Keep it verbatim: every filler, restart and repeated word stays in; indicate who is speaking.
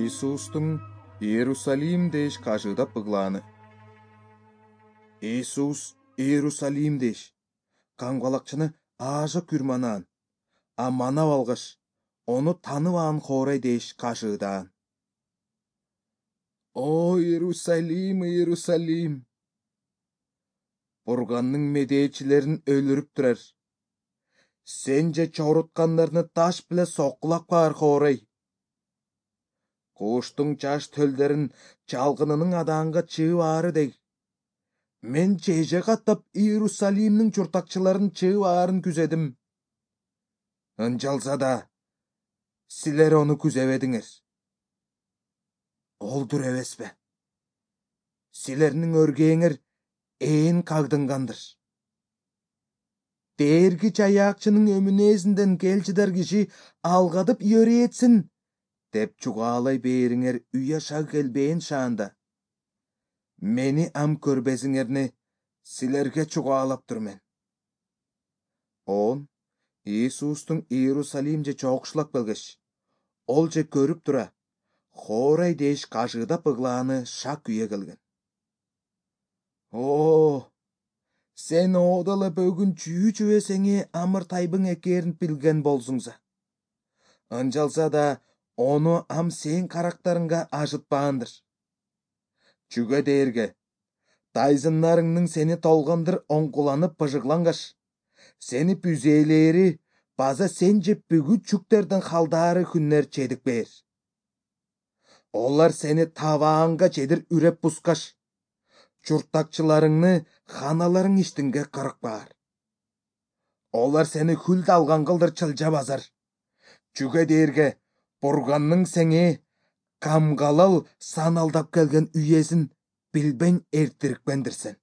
Speaker 1: Иисустун Иерусалим деш кажыдап быглааны. Иисус Иерусалим деш каңбалакчыны ажы күрманаан, а манап алгаш, ону таныбаан хоорай деш кажыдаан. О Иерусалим, Иерусалим! Бурганның медээчилерин өлүрүп турар. Сен же чоруткандарды таш биле соккулап каар хоорай. Куштуң чаш төлдөрүн чалгынынын адаанга чыып аары дег. Мен чеже каттап Иерусалимдин чуртакчыларын чыып аарын күзедим. Ынчалса да, силер ону күзебедиңер. Олдур эбеспи? Силердин өргөөңөр ээн кагдынгандыр. Дээрги чаяакчынын өмүнээсинден келчидар киши алгадып үйөрүетсин деп чугаалай бээриңер уяша келбээн шаанда. Мени ам көрбесиңерни силерге чугаалаптыр мен. Он Иисустун Иерусалимже чоокшулап келгеш, ол же көрүп тура, хоорай деш кажыдап быглааны шак үйе келген. О, сен оода эле бөгүн чүү чүбесеңи амыр тайбың экээрин билген болсуңса. Ынчалса да ону ам сен карактарыңга ажытпаандыр. Чүгө дээрге, тайзыннарыңның сени толгондур оңкуланып быжыглангаш, сени бүзээлери база сен жеп бүгүт чүктерден халдаары күннер чедикпээр. Олар сени табаанга чедир үреп бускаш, чуртакчыларыңны ханаларың иштинге кырыкпаар. Олар сени хүлд алган кылдыр чылжа базар. Чүгө дээрге, Бурганның сеңи камгалал саналдап келген үйесин билбен эртирикпендир сен.